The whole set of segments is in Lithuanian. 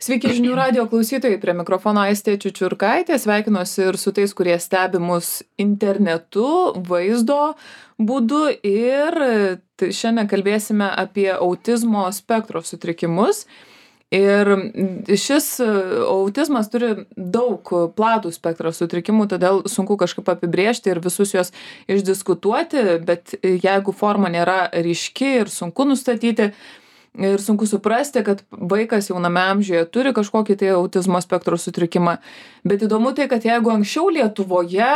Sveiki žinių radijo klausytojai, prie mikrofono Aistė Čiučiurkaitė, sveikinuosi ir su tais, kurie stebi mus internetu, vaizdo būdu ir šiandien kalbėsime apie autizmo spektro sutrikimus. Ir šis autizmas turi daug platų spektrą sutrikimų, todėl sunku kažkaip apibrėžti ir visus juos išdiskutuoti, bet jeigu forma nėra ryški ir sunku nustatyti, ir sunku suprasti, kad vaikas jauname amžiuje turi kažkokį tai autizmo spektro sutrikimą. Bet įdomu tai, kad jeigu anksčiau Lietuvoje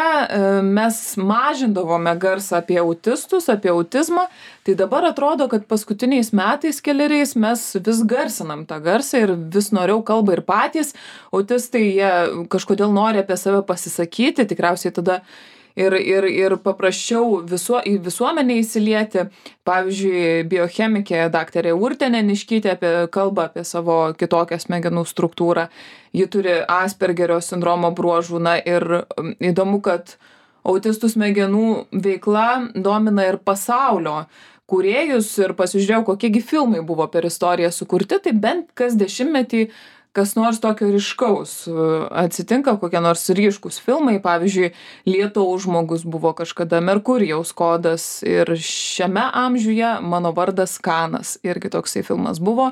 mes mažindavome garsą apie autistus, apie autizmą, tai dabar atrodo, kad paskutiniais metais keleriais mes vis garsinam tą garsą ir vis noriau kalba ir patys. Autistai jie kažkodėl nori apie save pasisakyti, tikriausiai tada ir paprasčiau į visuomenę įsilieti. Pavyzdžiui, biochemikė daktarė Urtė Neniškytė kalba apie savo kitokią smegenų struktūrą. Ji turi Aspergerio sindromo bruožų. Na ir įdomu, kad autistų smegenų veikla domina ir pasaulio kūrėjus ir pasižiūrėjau, kokiegi filmai buvo per istoriją sukurti, tai bent kas dešimtmetį kas nors tokio ryškaus atsitinka, kokie nors ryškus filmai, pavyzdžiui, Lietaus žmogus buvo kažkada, Merkurijaus kodas ir šiame amžiuje Mano vardas Kanas, irgi toksai filmas buvo.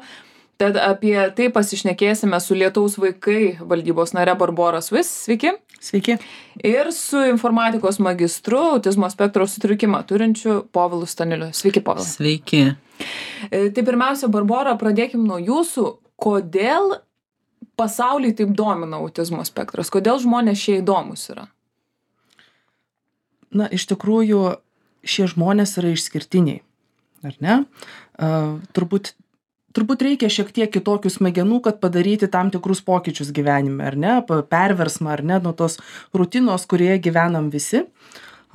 Tad apie tai pasišnekėsime su Lietaus vaikai valdybos nare Barbora Svis. Sveiki. Sveiki. Ir su informatikos magistru autizmo spektro sutrikimą turinčiu Povilu Staniliu. Sveiki, Povilai. Sveiki. Tai pirmiausia, Barbora, pradėkim nuo jūsų. Kodėl pasaulį taip domina autizmo spektras? Kodėl žmonės šie įdomus yra? Na, iš tikrųjų, šie žmonės yra išskirtiniai, ar ne? Turbūt reikia šiek tiek kitokių smegenų, kad padaryti tam tikrus pokyčius gyvenime, ar ne? Perversmą, ar ne? Nuo tos rutinos, kurioje gyvenam visi.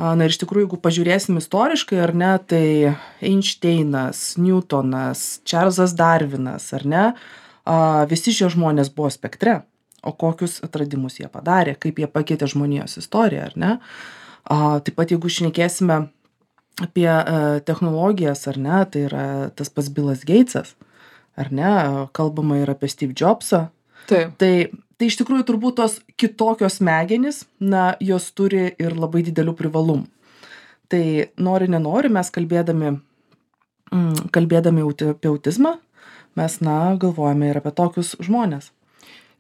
Na ir iš tikrųjų, jeigu pažiūrėsim istoriškai, ar ne, tai Einšteinas, Newtonas, Čarlzas Darvinas, ar ne? Visi šie žmonės buvo spektre, o kokius atradimus jie padarė, kaip jie pakeitė žmonijos istoriją, ar ne? Taip pat, jeigu šnekėsime apie technologijas, ar ne, tai yra tas pats Billas Gatesas, ar ne, kalbama ir apie Steve Jobsą. Taip. Tai iš tikrųjų turbūt tos kitokios smegenys, na, jos turi ir labai didelių privalumų. Tai nori, nenori, mes kalbėdami apie autizmą, mes, na, galvojame ir apie tokius žmonės.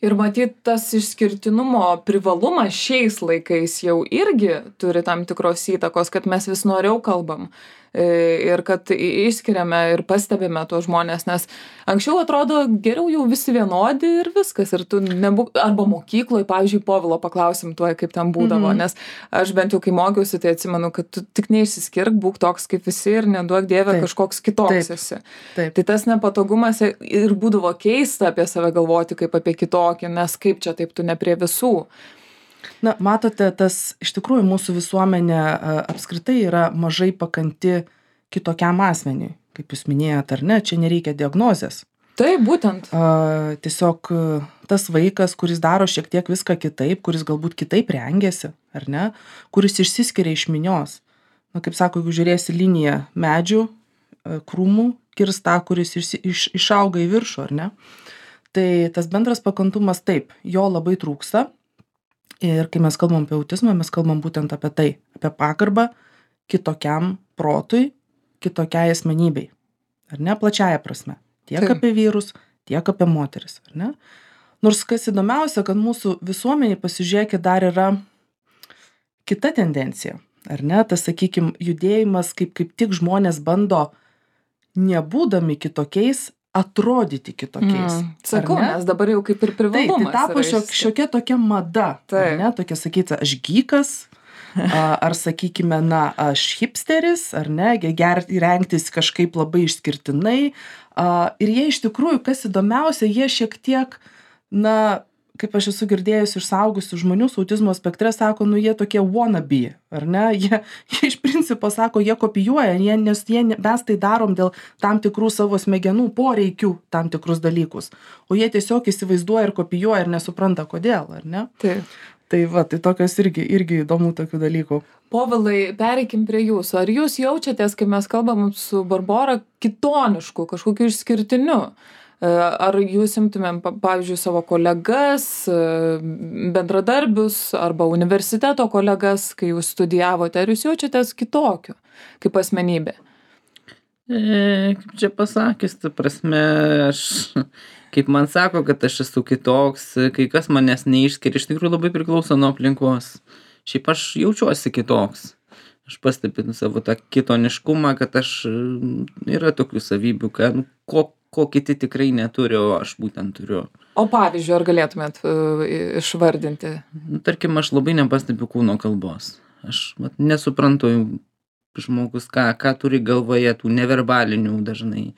Ir matyt, tas išskirtinumo privalumas šiais laikais jau irgi turi tam tikros įtakos, kad mes vis noriau kalbam ir kad išskiriame ir pastebime tuos žmonės, nes anksčiau atrodo geriau jau visi vienodi ir viskas. Ir tu nebūk, arba mokykloje, pavyzdžiui, Povilo paklausim tuoj, kaip ten būdavo, nes aš bent jau kai mokiausi, tai atsimenu, kad tu tik neišsiskirk, būk toks kaip visi ir neduok dieve kažkoks kitoks esi. Taip. Tai tas nepatogumas ir būdavo keista apie save galvoti kaip apie kitokį, nes kaip čia taip tu ne prie visų. Na, matote, tas iš tikrųjų mūsų visuomenė apskritai yra mažai pakanti kitokiam asmeniui, kaip jūs minėjot, ar ne, čia nereikia diagnozės. Taip, būtent. Tiesiog tas vaikas, kuris daro šiek tiek viską kitaip, kuris galbūt kitaip rengiasi, ar ne, kuris išsiskiria iš minios. Na, kaip sako, jeigu žiūrėsi liniją medžių, krūmų, kirs tą, kuris išauga į viršų, ar ne. Tai tas bendras pakantumas taip, jo labai trūksta. Ir kai mes kalbam apie autizmą, mes kalbam būtent apie tai, apie pagarbą kitokiam protui, kitokiai asmenybei, ar ne, plačiaja prasme. Tiek apie vyrus, tiek apie moteris, ar ne. Nors kas įdomiausia, kad mūsų visuomeniai, pasižiūrėkit, dar yra kita tendencija, ar ne, tas, sakykim, judėjimas, kaip tik žmonės bando, nebūdami kitokiais, atrodyti kitokiais. Sakau, nes dabar jau kaip ir privalumas. Tai tapo šiokia tokia mada, ar ne, tokia sakyti, aš gykas, ar sakykime, na, aš hipsteris, ar ne, rengtis kažkaip labai išskirtinai. Ir jie iš tikrųjų, kas įdomiausia, jie šiek tiek, na, kaip aš esu girdėjus iš suaugusių žmonių su autizmo spektre, sako, nu jie tokie wannabe, ar ne, jie iš principo sako, jie kopijuoja, nes mes tai darom dėl tam tikrų savo smegenų poreikių tam tikrus dalykus, o jie tiesiog įsivaizduoja ir kopijuoja ir nesupranta kodėl, ar ne? Taip. Tai va, tai tokios irgi įdomu tokių dalykų. Povilai, pereikim prie jūsų. Ar jūs jaučiatės, kai mes kalbam su Barbora, kitonišku, kažkokiu išskirtiniu? Ar jūs imtumėm, pavyzdžiui, savo kolegas, bendradarbius arba universiteto kolegas, kai jūs studijavote, ar jūs jaučiatės kitokiu kaip asmenybė? Kaip čia pasakius, ta prasme, aš, kaip man sako, kad aš esu kitoks, kai kas manęs neišskiria, iš tikrųjų labai priklauso nuo aplinkos. Šiaip aš jaučiuosi kitoks. Aš pastebiu savo tą kitoniškumą, kad aš yra tokių savybių, kad ko kiti tikrai neturi, o aš būtent turiu. O pavyzdžiui, ar galėtumėt išvardinti? Tarkim, aš labai nepastebiu kūno kalbos. Aš nesuprantu žmogus, ką turi galvoje, tų neverbalinių dažnai.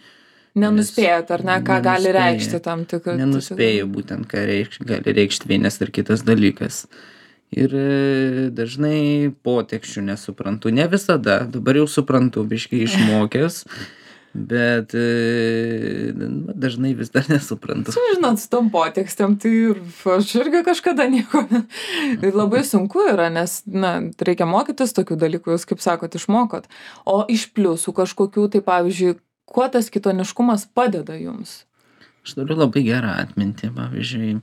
Nenuspėjat, ar ne, ką gali reikšti tam tikrą. Nenuspėju būtent, ką gali reikšti vienas ar kitas dalykas. Ir dažnai poteksčių nesuprantu. Ne visada, dabar jau suprantu, biškai išmokęs. Bet dažnai vis dar nesuprantu. Žinot, su tom potekstėm, tai aš irgi kažkada nieko. Labai sunku yra, nes, reikia mokytis tokių dalykų, jūs, kaip sakot, išmokot. O iš pliusų kažkokių, tai pavyzdžiui, kuo tas kitoniškumas padeda jums? Aš turiu labai gerą atmintį, pavyzdžiui,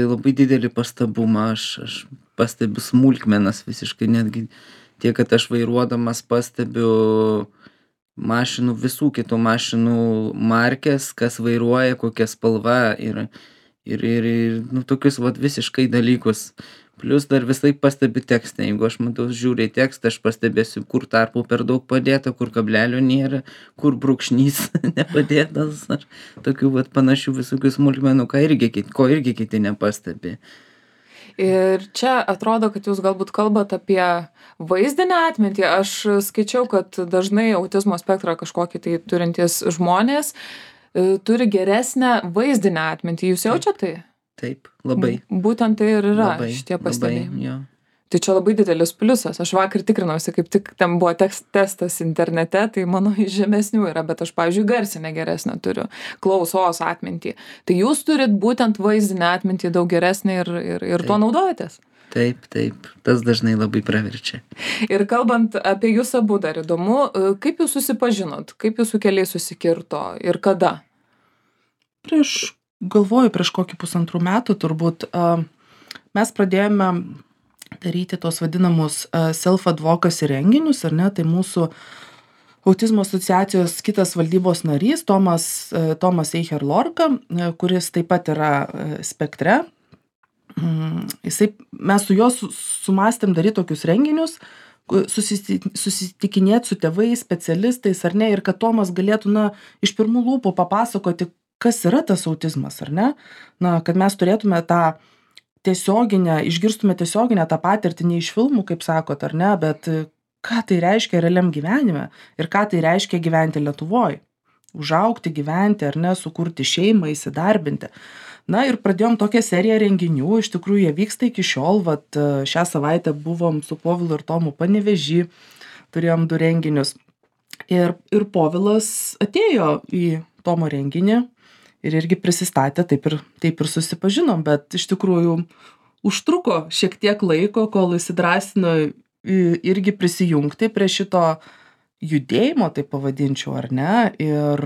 labai didelį pastabumą, aš pastebiu smulkmenas visiškai, netgi tiek, kad aš vairuodamas pastebiu mašinų, visų kitų mašinų markės, kas vairuoja, kokia spalva ir tokius visiškai dalykus. Plius dar visai pastebiu tekstą. Jeigu aš matau, žiūriu į tekstą, aš pastebėsiu, kur tarpų per daug padėta, kur kablelio nėra, kur brūkšnys nepadėtas. Ar tokių panašių visokių smulkmenų, ko irgi kiti nepastebi. Ir čia atrodo, kad jūs galbūt kalbat apie vaizdinę atmintį. Aš skaičiau, kad dažnai autizmo spektrą kažkokį tai turintys žmonės turi geresnę vaizdinę atmintį. Jūs jaučiate tai? Taip, labai. Būtent tai ir yra šitie pastebėjimai. Tai čia labai didelis pliusas. Aš vakar tikrinausi, kaip tik ten buvo testas internete, tai mano iš žemesnių yra, bet aš, pavyzdžiui, garsinę geresnę turiu, klausos atmintį. Tai jūs turit būtent vaizdinę atmintį daug geresnę ir tuo naudojatės? Taip, tas dažnai labai praverčia. Ir kalbant apie jūs abu, dar įdomu, kaip jūs susipažinot, kaip jūsų keliai susikirto ir kada? Galvoju, prieš kokį 1,5 metų turbūt mes pradėjome daryti tos vadinamus self-advocacy renginius, ar ne, tai mūsų autizmo asociacijos kitas valdybos narys, Tomas Eicher-Lorka, kuris taip pat yra spektre. Mes su juo sumastėm daryti tokius renginius, susitikinėti su tėvais, specialistais, ar ne, ir kad Tomas galėtų, iš pirmų lūpų papasakoti, kas yra tas autizmas, ar ne, kad mes turėtume tą išgirstume tiesioginę tą patirtį, ne iš filmų, kaip sakot, ar ne, bet ką tai reiškia realiam gyvenime ir ką tai reiškia gyventi Lietuvoje. Užaugti, gyventi, ar ne, sukurti šeimą, įsidarbinti. Ir pradėjom tokią seriją renginių, iš tikrųjų jie vyksta iki šiol, šią savaitę buvom su Povilu ir Tomu Panevėžy, turėjom 2 renginius. Ir Povilas atėjo į Tomo renginį, ir irgi prisistatė, taip ir susipažinom, bet iš tikrųjų užtruko šiek tiek laiko, kol įsidrąsino irgi prisijungti prie šito judėjimo, taip pavadinčiau, ar ne, ir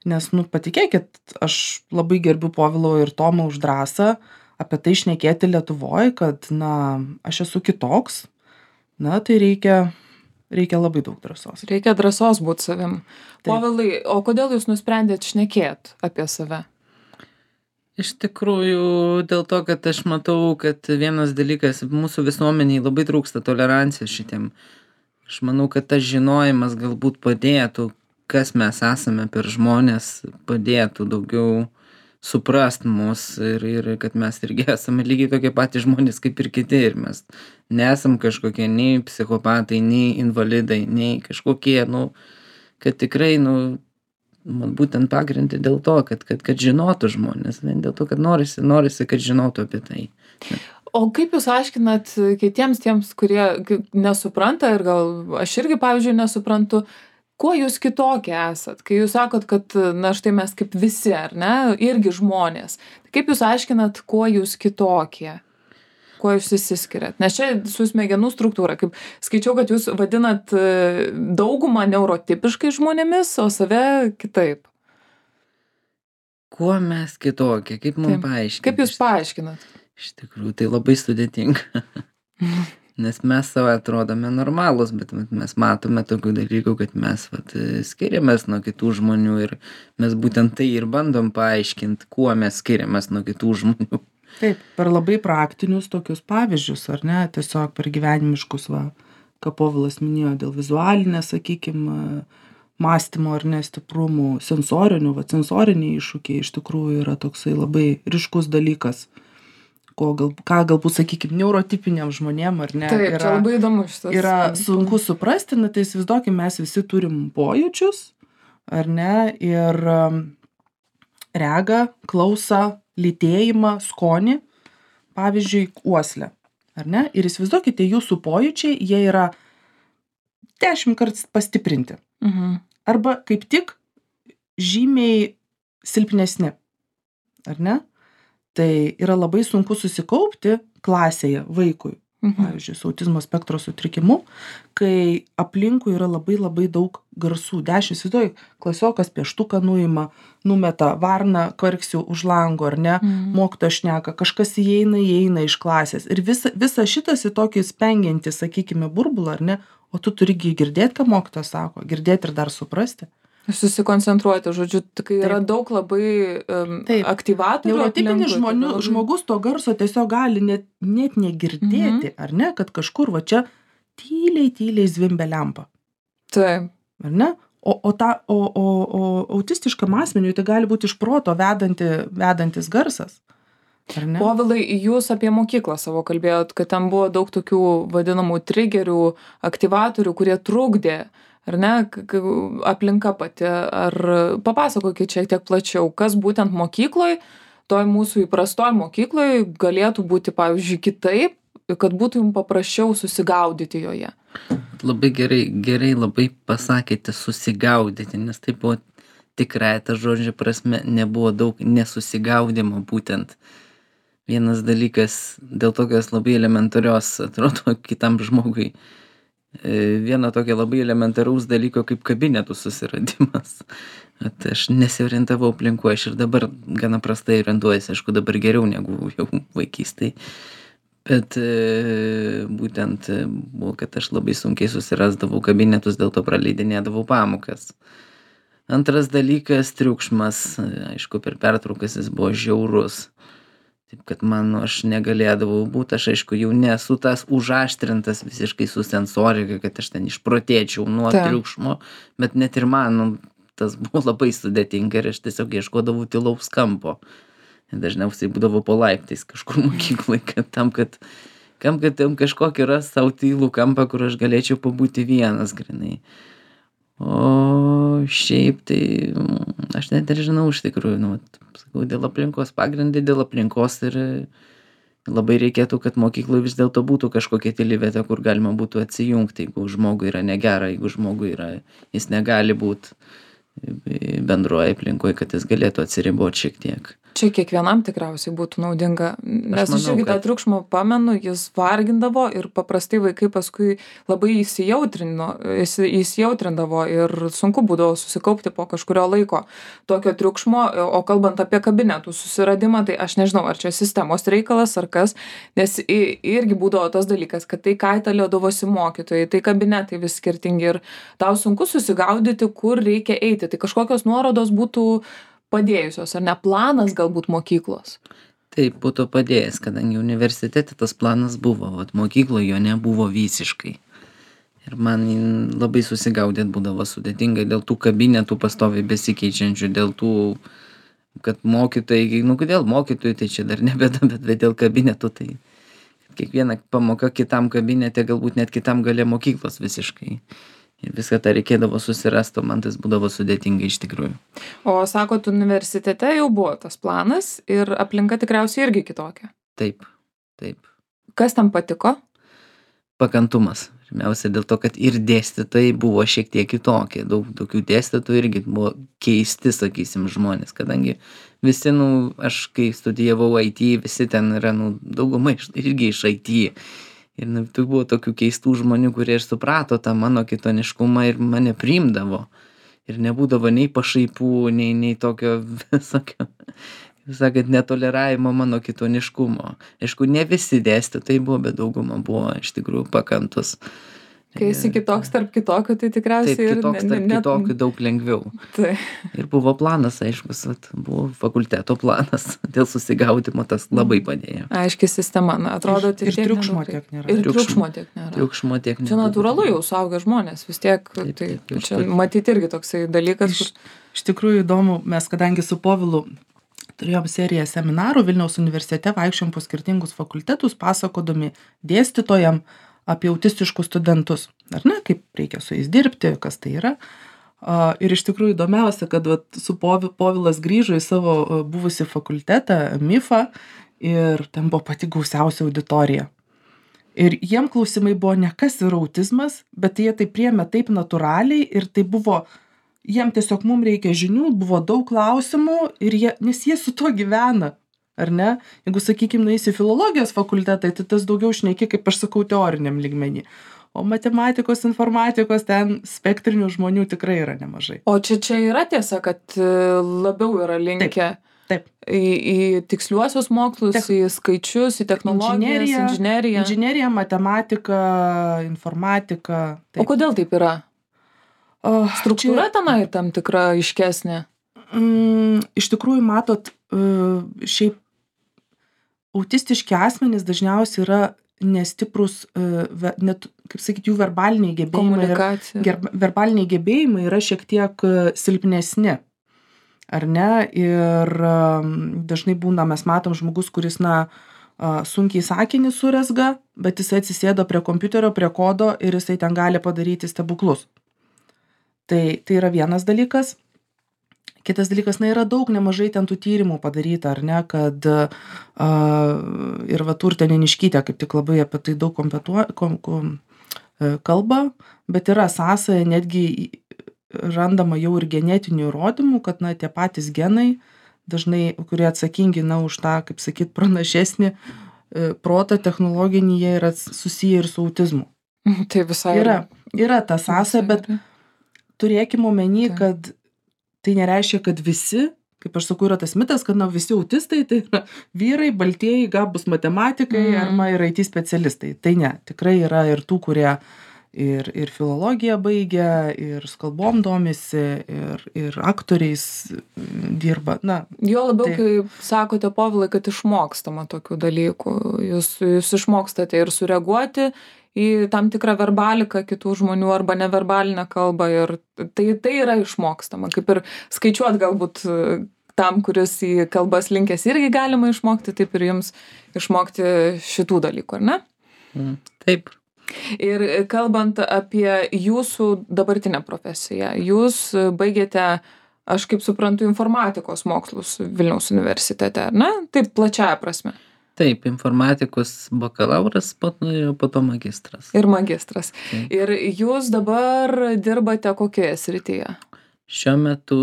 nes, patikėkit, aš labai gerbiu Povilo ir Tomą už drąsą apie tai šnekėti Lietuvoje, kad, aš esu kitoks, tai reikia labai daug drąsos. Reikia drąsos būti savim. Povilai, o kodėl jūs nusprendėt šnekėt apie save? Iš tikrųjų, dėl to, kad aš matau, kad vienas dalykas, mūsų visuomeniai labai trūksta tolerancijos šitiem. Aš manau, kad tas žinojimas galbūt padėtų, kas mes esame per žmonės, padėtų daugiau suprast mus ir kad mes irgi esame lygiai tokie patys žmonės kaip ir kiti ir mes nesam kažkokie nei psichopatai, nei invalidai, nei kažkokie, kad tikrai, man būtent pagrindai dėl to, kad žinotų žmonės, dėl to, kad norisi, kad žinotų apie tai. O kaip jūs aiškinat kitiems tiems, kurie nesupranta ir gal aš irgi, pavyzdžiui, nesuprantu, kuo jūs kitokie esat? Kai jūs sakot, kad, štai mes kaip visi, ar ne, irgi žmonės. Kaip jūs aiškinat, kuo jūs kitokie? Kuo jūs išsiskiriat? Nes čia su smegenų struktūra, kaip skaičiau, kad jūs vadinat daugumą neurotipiškai žmonėmis, o save kitaip. kuo mes kitokie, kaip mums Taip. paaiškinti? Kaip jūs paaiškinat? Iš tikrųjų, tai labai sudėtinga. Nes mes savo atrodome normalūs, bet mes matome tokių dalykų, kad mes skiriamės nuo kitų žmonių ir mes būtent tai ir bandom paaiškinti, kuo mes skiriamės nuo kitų žmonių. Taip, per labai praktinius tokius pavyzdžius, ar ne, tiesiog per gyvenimiškus, ką Povilas minėjo, dėl vizualinės, sakykime, mąstymo ar nestiprumų, sensoriniai iššūkiai iš tikrųjų yra toksai labai ryškus dalykas, ką galbūt, sakykime, neurotipiniam žmonėm, ar ne, Taip, čia labai įdomu šitas. yra sunku suprasti, tai įsivaizduokim, mes visi turim pojūčius, ar ne, ir regą, klausą, lytėjimą, skonį, pavyzdžiui, uoslę, ar ne, ir įsivaizduokite, jūsų pojūčiai, jie yra 10 kartų pastiprinti, arba kaip tik žymiai silpnesni, ar ne? Tai yra labai sunku susikaupti klasėje vaikui, pavyzdžiui, su autizmo spektro sutrikimu, kai aplinkui yra labai labai daug garsų. 10, įsivaizduoju, klasiokas pieštuką nuima, numeta varną, kvarksiu už lango, ar ne, mokytojas šneka, kažkas įeina iš klasės. Ir visa šitas į tokį spengiantį, sakykime, burbulą, ar ne, o tu turi girdėti, ką mokytojas sako, girdėti ir dar suprasti. Susikoncentruoti, žodžiu, kai yra daug labai aktyvatorių. Neurotipinis žmogus to garso tiesiog gali net negirdėti, ar ne, kad kažkur va čia tyliai zvimbia lempa. Taip. Ar ne? O autistiškam asmeniui tai gali būti iš proto vedantis garsas. Ar ne? Povilai, jūs apie mokyklą savo kalbėjot, kad ten buvo daug tokių vadinamų trigerių, aktyvatorių, kurie trukdė, ar ne, aplinka pati. Ar papasakokit šiek tiek plačiau, kas būtent mokykloj, toj mūsų įprastoj mokykloj galėtų būti, pavyzdžiui, kitaip, kad būtų jums paprasčiau susigaudyti joje. Labai gerai labai pasakėte susigaudyti, nes tai buvo tikrai ta žodžio prasme, nebuvo daug nesusigaudimo būtent. Vienas dalykas, dėl tokios labai elementarios, atrodo, kitam žmogui, vieno tokio labai elementaraus dalyko kaip kabinetų susiradimas. Aš nesiorientavau aplinkoje, aš ir dabar gana prastai orientuojuosi, aišku, dabar geriau negu jau vaikystėj. Bet būtent buvo, kad aš labai sunkiai susirasdavau kabinetus, dėl to praleidinėdavau pamokas. Antras dalykas - triukšmas. Aišku, per pertraukas jis buvo žiaurus. Taip, kad aš negalėdavau būti, aš aišku jau nesu tas užaštrintas visiškai su sensorika, kad aš ten išprotėčiau nuo triukšmo, bet net ir man tas buvo labai sudėtinga ir aš tiesiog ieškodavau tylaus kampo. Dažniausiai būdavo po laiptais kažkur mokyklai, kad kažkokį ras savo tylų kampą, kur aš galėčiau pabūti vienas grinai. O šiaip tai aš net ir žinau iš tikrųjų, sakau, dėl aplinkos pagrindai, dėl aplinkos ir labai reikėtų, kad mokykloje vis dėlto būtų kažkokia tyli vieta, kur galima būtų atsijungti, jeigu žmogui yra negera, jeigu žmogui jis negali būti bendroje aplinkoje, kad jis galėtų atsiriboti šiek tiek. Čia kiekvienam tikriausiai būtų naudinga, nes aš irgi tą triukšmą pamenu, jis vargindavo ir paprastai vaikai paskui labai įsijautrinavo ir sunku būdavo susikaupti po kažkurio laiko tokio triukšmo, o kalbant apie kabinetų susiradimą, tai aš nežinau, ar čia sistemos reikalas ar kas, nes irgi būdavo tas dalykas, kad tai kaitaliodavosi mokytojai, tai kabinetai vis skirtingi ir tau sunku susigaudyti, kur reikia eiti, tai kažkokios nuorodos būtų padėjusios, ar ne, planas galbūt mokyklos? Taip, būtų padėjęs, kadangi universitete tas planas buvo, mokykloje jo nebuvo visiškai. Ir man labai susigaudėt būdavo sudėtingai dėl tų kabinetų pastoviai besikeičiančių, dėl tų, kad mokytojai, kodėl mokytojai, tai čia dar nebėda, bet dėl kabinetų, tai kiekviena pamoka kitam kabinete, galbūt net kitam gale mokyklos visiškai. Ir viską tą reikėdavo susirasti, o man tas būdavo sudėtinga iš tikrųjų. O sakot, universitete jau buvo tas planas ir aplinka tikriausiai irgi kitokia. Taip. Kas tam patiko? Pakantumas. Pirmiausia, dėl to, kad ir dėstytojai buvo šiek tiek kitokie. Daug tokių dėstytojų irgi buvo keisti, sakysim, žmonės, kadangi visi, aš kai studijavau IT, visi ten yra, dauguma irgi iš IT. Ir tai buvo tokių keistų žmonių, kurie ir suprato tą mano kitoniškumą ir mane priimdavo. ir nebūdavo nei pašaipų, nei tokio visokio, kaip sakant, netoleravimo mano kitoniškumo. Aišku, ne visi dėstytojai buvo, bet dauguma buvo iš tikrųjų pakantus. Kai esi kitoks tarp kitokių, tai tikriausiai Taip, kitoks tarp kitokių daug lengviau. Tai. Ir buvo planas, aiškus, buvo fakulteto planas, dėl susigaudimo tas labai padėjo. Aiški sistema, na, atrodo, Ir triukšmo tiek nėra. Ir triukšmo tiek nėra. Triukšmo tiek nėra. Čia natūralu jau suaugę žmonės, vis tiek, tai čia matyti irgi toksai dalykas. Iš tikrųjų įdomu, mes kadangi su Povilu turėjom seriją seminarų Vilniaus universitete, vaikščiom po skirtingus fakultetus, pasakodami dėstytojam apie autistiškus studentus, ar ne, kaip reikia su jais dirbti, kas tai yra. Ir iš tikrųjų įdomiausia, kad su Povilas grįžo į savo buvusi fakultetą, MIFą, ir ten buvo pati gausiausia auditorija. Ir jiem klausimai buvo ne kas yra autizmas, bet jie tai priėmė taip natūraliai ir tai buvo, jiem tiesiog mums reikia žinių, buvo daug klausimų, nes jie su tuo gyvena. Ar ne? Jeigu, sakykime, nueisi filologijos fakultetai, tai tas daugiau šneki, kaip aš sakau, teoriniam lygmenį. O matematikos, informatikos, ten spektrinių žmonių tikrai yra nemažai. O čia yra tiesa, kad labiau yra linkę Taip. Į tiksliuosius mokslus, į skaičius, į technologijas, inžineriją. Inžinerija, matematika, informatika. Taip. O kodėl taip yra? Struktūra tenai tam tikra aiškesnė? Iš tikrųjų, matot, šiaip autistiški asmenys dažniausiai yra nestiprus, net, kaip sakyti, jų verbaliniai gebėjimai yra šiek tiek silpnesni. Ar ne? Ir dažnai būna, mes matom žmogus, kuris, sunkiai sakinį suresga, bet jisai atsisėdo prie kompiuterio, prie kodo ir jisai ten gali padaryti stebuklus. Tai yra vienas dalykas. Kitas dalykas, yra daug nemažai ten tų tyrimų padaryta, ar ne, kad ir Urtė Neniškytė kaip tik labai apie tai daug kalba, bet yra sąsaja, netgi randama jau ir genetinių įrodymų, kad tie patys genai, dažnai, kurie atsakingi už tą, kaip sakyt, pranašesnį protą technologinį, jie yra susiję ir su autizmu. Tai visai yra ta sąsaja, bet turėkime omeny, kad tai nereiškia, kad visi, kaip aš sakau, yra tas mitas, kad visi autistai tai yra vyrai, baltieji, gabūs matematikai arba ir IT specialistai. Tai ne, tikrai yra ir tų, kurie ir filologiją baigia, ir kalbom domisi, ir aktoriais dirba. Jo labiau, kaip sakote, Povilai, kad išmokstama tokių dalykų. Jūs išmokstate ir sureaguoti į tam tikrą verbaliką kitų žmonių arba neverbalinę kalbą ir tai yra išmokstama. Kaip ir skaičiuot galbūt tam, kuris į kalbas linkęs irgi galima išmokti, taip ir jums išmokti šitų dalykų, ar ne? Taip. Ir kalbant apie jūsų dabartinę profesiją, jūs baigėte, aš kaip suprantu, informatikos mokslus Vilniaus universitete, ar ne? Taip plačiaja prasme. Taip, informatikos bakalauras, po to magistras. Ir magistras. Taip. Ir jūs dabar dirbate kokioje srityje? Šiuo metu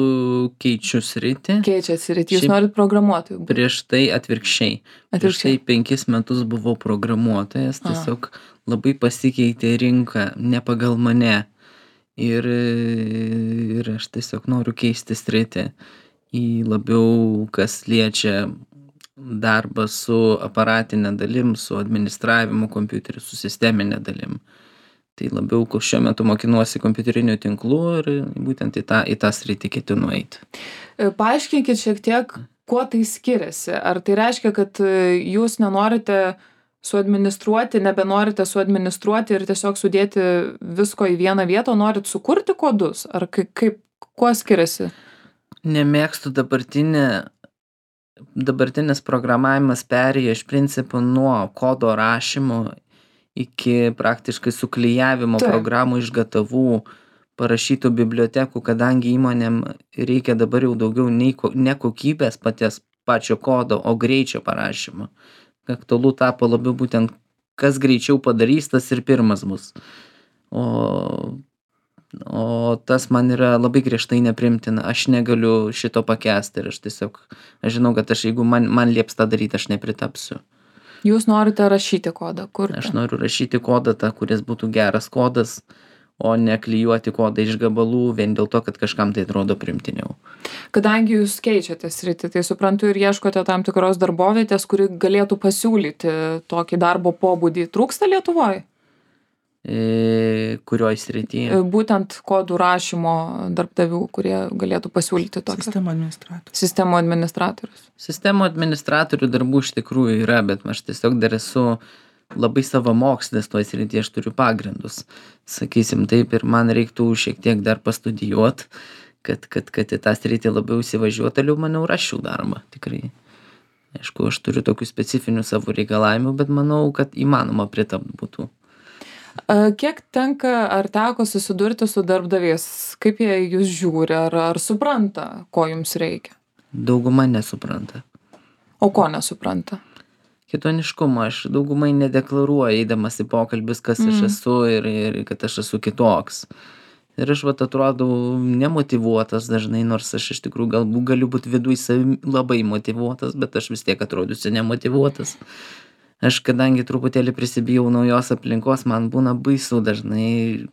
keičiu sritį. Keičiat sritį, jūs norit programuotojų būti? Prieš tai atvirkščiai. Prieš tai 5 metus buvau programuotojas, tiesiog labai pasikeitė rinka, ne pagal mane. Ir aš tiesiog noriu keisti sritį į labiau, kas liečia darbą su aparatinė dalim, su administravimu kompiuteriu, su sisteminė dalim. Tai labiau, šiuo metu mokinuosi kompiuterinių tinklų ir būtent į tą sritį ketinu eiti. Paaiškinkit šiek tiek, kuo tai skiriasi. Ar tai reiškia, kad jūs nenorite nebenorite suadministruoti ir tiesiog sudėti visko į vieną vietą, norit sukurti kodus? Ar kuo skiriasi? Nemėgstu dabartinis programavimas perėjo iš principo nuo kodo rašymo iki praktiškai suklijavimo programų iš gatavų parašytų bibliotekų, kadangi įmonėm reikia dabar jau daugiau ne kokybės pačio kodo, o greičio parašymo. Aktualu tapo labiau būtent, kas greičiau padarys, tas ir pirmas bus. O tas man yra labai griežtai neprimtina. Aš negaliu šito pakęsti ir aš žinau, kad jeigu man lieps tą daryti, aš nepritapsiu. Jūs norite rašyti kodą, kurti? Aš noriu rašyti kodą, kuris būtų geras kodas, o ne klijuoti kodą iš gabalų vien dėl to, kad kažkam tai atrodo primtiniau. Kadangi jūs keičiate sritį, tai suprantu ir ieškote tam tikros darbovietės, kuri galėtų pasiūlyti tokį darbo pobūdį. Trūksta Lietuvoje? Kurioj srityje? Būtent kodų rašymo darbdavių, kurie galėtų pasiūlyti tokį. Sistemų administratorius. Sistemų administratorių darbų iš tikrųjų yra, bet aš tiesiog dar esu labai savamokslis toj srityje, aš turiu pagrindus. Sakysim taip, ir man reiktų šiek tiek dar pastudijuot, kad į tą sritį labiau įsivažiuot, toliau maniau rašiau darbą, tikrai. Aišku, aš turiu tokių specifinių savo reikalavimų, bet manau, kad įmanoma pritapt būtų. Kiek tenka ar teko susidurti su darbdaviais? Kaip jie jūs žiūri? Ar supranta, ko jums reikia? Dauguma nesupranta. O ko nesupranta? Kitoniškumo. Aš daugumai nedeklaruoju, eidamas į pokalbius, kas aš esu ir kad aš esu kitoks. Ir aš atrodau nemotyvuotas dažnai, nors aš iš tikrųjų galbūt galiu būti viduj savim labai motyvuotas, bet aš vis tiek atrodysiu nemotyvuotas. Aš kadangi truputėlį prisibijau naujos aplinkos, man būna baisu dažnai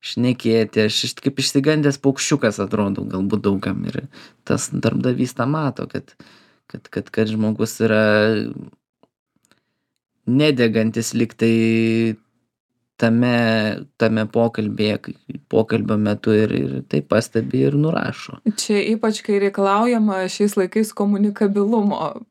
šnekėti, aš kaip išsigandęs paukščiukas atrodau galbūt daugam ir tas darbdavys tą mato, kad žmogus yra nedegantis liktai tame pokalbio metu ir tai pastebi ir nurašo. Čia ypač, kai reikalaujama šiais laikais komunikabilumo,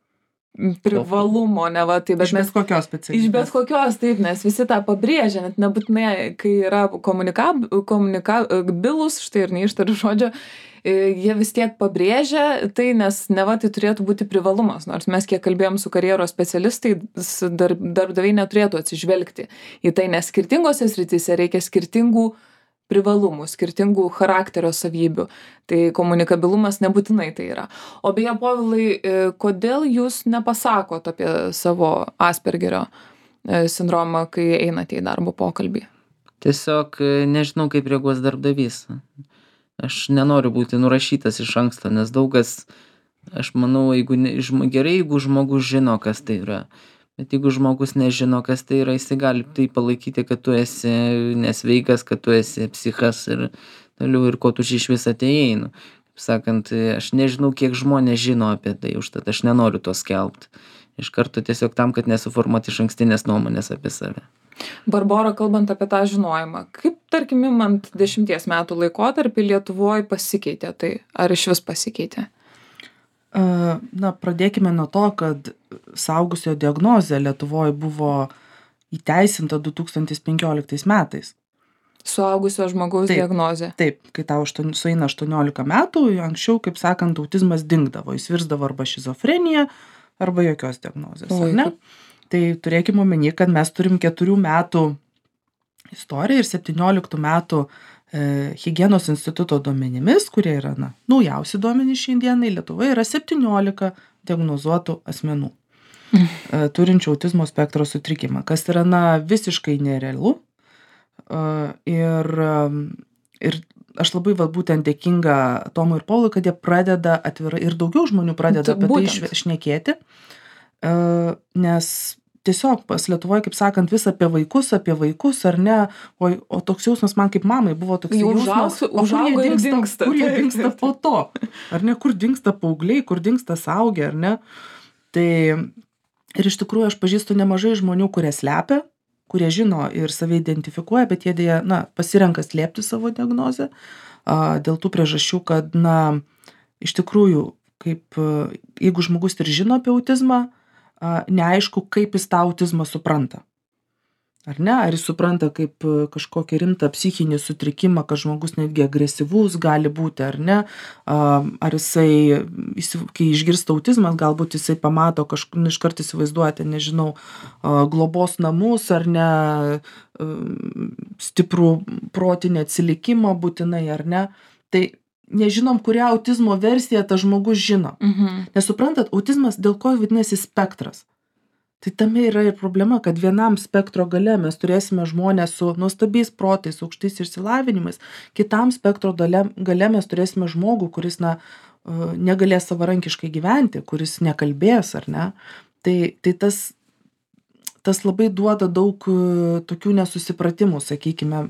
privalumo, ne va, tai bet iš bet kokios specialybės. Iš bet kokios, taip, nes visi tą pabrėžia, net nebūtinai, kai yra komunikabilus, štai ir neištariu žodžio, jie vis tiek pabrėžia tai, nes ne va, tai turėtų būti privalumas, nors mes kiek kalbėjom su karjeros specialistai, darbdaviai neturėtų atsižvelgti į tai, nes skirtingose srityse reikia skirtingų privalumų, skirtingų charakterio savybių. Tai komunikabilumas nebūtinai tai yra. O beje, Povilai, kodėl jūs nepasakot apie savo Aspergerio sindromą, kai einate į darbo pokalbį? Tiesiog nežinau, kaip reaguos darbdavys. Aš nenoriu būti nurašytas iš anksto, nes daugas, aš manau, gerai, jeigu žmogus žino, kas tai yra. Bet jeigu žmogus nežino, kas tai yra, jisai gali tai palaikyti, kad tu esi nesveikas, kad tu esi psichas ir toliau ir ko tu iš vis atėjai. Kaip sakant, aš nežinau, kiek žmonės žino apie tai, užtat aš nenoriu to skelbti. Iš karto tiesiog tam, kad nesuformuoti išankstinės nuomonės apie save. Barbora, kalbant apie tą žinojimą, kaip, tarkim, imant 10 metų laikotarpį Lietuvoje pasikeitė tai? Ar iš vis pasikeitė? Na, pradėkime nuo to, kad suaugusio diagnozė Lietuvoje buvo įteisinta 2015 metais. Suaugusio žmogaus diagnozė? Taip, kai tau sueina 18 metų, anksčiau, kaip sakant, autizmas dingdavo, jis virsdavo arba šizofrenija, arba jokios diagnozės, ar ne? Tai turėkime omeny, kad mes turim 4 metų istoriją ir 17 metų Higienos instituto duomenimis, kurie yra naujausi duomenys šiandienai, Lietuvoje yra 17 diagnozuotų asmenų, turinčių autizmo spektro sutrikimą, kas yra visiškai nerealu. Ir aš labai būtent dėkinga Tomui ir Paului, kad jie pradeda atvirai ir daugiau žmonių pradeda apie tai šnekėti, nes tiesiog pas Lietuvoje, kaip sakant, vis apie vaikus, ar ne, o toks jausmas man kaip mamai buvo toks jausmas, kur jie dingsta po to, ar ne, kur dingsta paaugliai, kur dingsta suaugę, ar ne. Tai ir iš tikrųjų aš pažįstu nemažai žmonių, kurie slepia, kurie žino ir save identifikuoja, bet jie dėja, pasirenka slėpti savo diagnozę dėl tų priežasčių, kad, iš tikrųjų, jeigu žmogus ir žino apie autizmą, neaišku, kaip jis tą autizmą supranta. Ar ne? Ar jis supranta kaip kažkokį rimtą psichinį sutrikimą, kad žmogus netgi agresyvus gali būti, ar ne? Ar jisai, kai išgirsta autizmas, galbūt jisai pamato iškart įsivaizduoti, nežinau, globos namus, ar ne, stiprų protinį atsilikimą būtinai, ar ne? Tai nežinom, kurią autizmo versiją tas žmogus žino. Nes suprantat, autizmas dėl ko vadinasi spektras. Tai tame yra ir problema, kad vienam spektro gale mes turėsime žmonės su nuostabiais protais, aukštais išsilavinimais, kitam spektro gale mes turėsime žmogų, kuris negalės savarankiškai gyventi, kuris nekalbės, ar ne. Tai tas labai duoda daug tokių nesusipratimų, sakykime,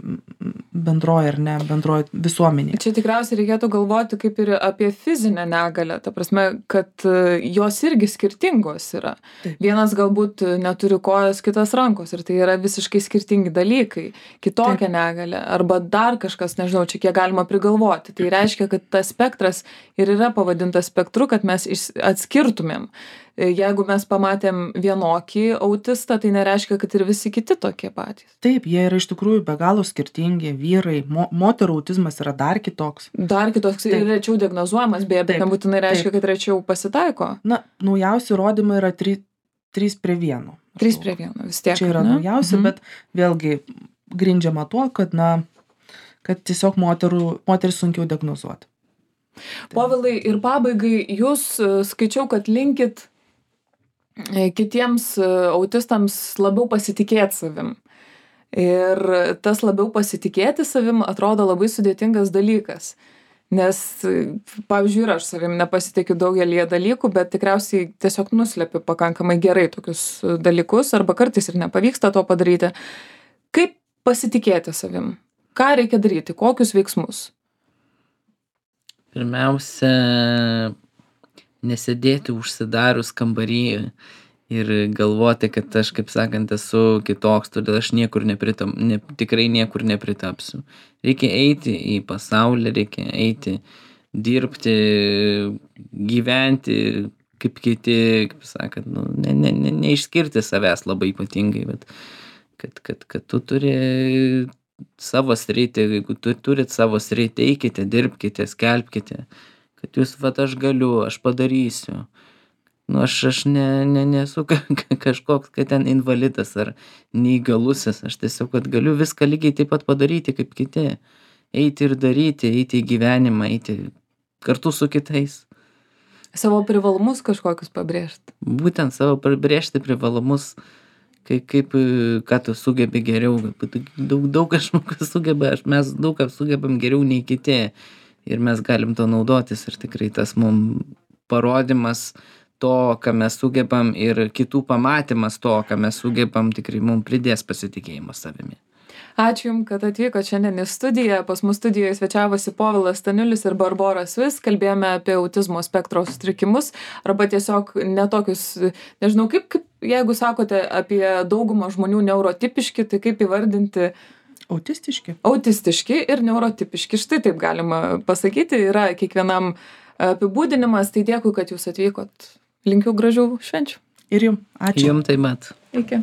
bendroje ar ne, bendroje visuomenėje. Čia tikriausiai reikėtų galvoti kaip ir apie fizinę negalę, ta prasme, kad jos irgi skirtingos yra. Taip. Vienas galbūt neturi kojos, kitas rankos ir tai yra visiškai skirtingi dalykai, kitokia negalė arba dar kažkas, nežinau, čia kiek galima prigalvoti. Tai reiškia, kad tas spektras ir yra pavadintas spektru, kad mes atskirtumėm. Jeigu mes pamatėm vienokį autistą, tai nereiškia, kad ir visi kiti tokie patys. Taip, jie yra iš tikrųjų be galo skirtingi, vyrai, moterų autizmas yra dar kitoks. Dar kitoks ir rečiau diagnozuojamas, beje, bet nebūtinai reiškia, kad rečiau pasitaiko. Na, naujausi įrodymai yra 3:1. 3:1, vis tiek. Čia yra naujausi, bet vėlgi grindžiama tuo, kad, kad tiesiog moteris sunkiau diagnozuoti. Povilai, ir pabaigai, jūs skaičiau, kad linkit kitiems autistams labiau pasitikėti savim. Ir tas labiau pasitikėti savim atrodo labai sudėtingas dalykas. Nes, pavyzdžiui, ir aš savim nepasitikiu daugelį dalykų, bet tikriausiai tiesiog nuslepiu pakankamai gerai tokius dalykus, arba kartais ir nepavyksta to padaryti. Kaip pasitikėti savim? Ką reikia daryti? Kokius veiksmus? Pirmiausia, nesėdėti užsidarius kambarį ir galvoti, kad aš, kaip sakant, esu kitoks, todėl aš tikrai niekur nepritapsiu. Reikia eiti į pasaulį, reikia eiti, dirbti, gyventi kaip kiti, kaip sakant, neišskirti savęs labai ypatingai, bet kad tu turi savo sritį, jeigu tu turit savo sritį, eikite, dirbkite, skelbkite, kad jūs, aš galiu, aš padarysiu. Aš nesu kažkoks, kad ten invalidas ar neįgalusis, aš tiesiog, kad galiu viską lygiai taip pat padaryti kaip kiti. Eiti ir daryti, eiti į gyvenimą, eiti kartu su kitais. Savo privalumus kažkokius pabrėžti. Būtent savo pabrėžti privalumus, ką tu sugebi geriau. Daug kažkas sugeba, mes daug ką sugebam geriau nei kiti. Ir mes galim to naudotis ir tikrai tas mums parodimas to, ką mes sugebam ir kitų pamatymas to, ką mes sugebam, tikrai mums pridės pasitikėjimo savimi. Ačiū Jums, kad atvykote šiandien į studiją. Pas mus studijoje svečiavosi Povilas Staniulis ir Barbora Svis. Kalbėjome apie autizmo spektro sutrikimus arba tiesiog netokius, nežinau, kaip jeigu sakote apie daugumą žmonių neurotipiški, tai kaip įvardinti? Autistiški. Autistiški ir neurotipiški. Štai taip galima pasakyti. Yra kiekvienam apibūdinimas. Tai dėkui, kad Jūs atvykot. Linkiu gražių švenčių. Ir Jums. Ačiū. Jums taip pat. Iki.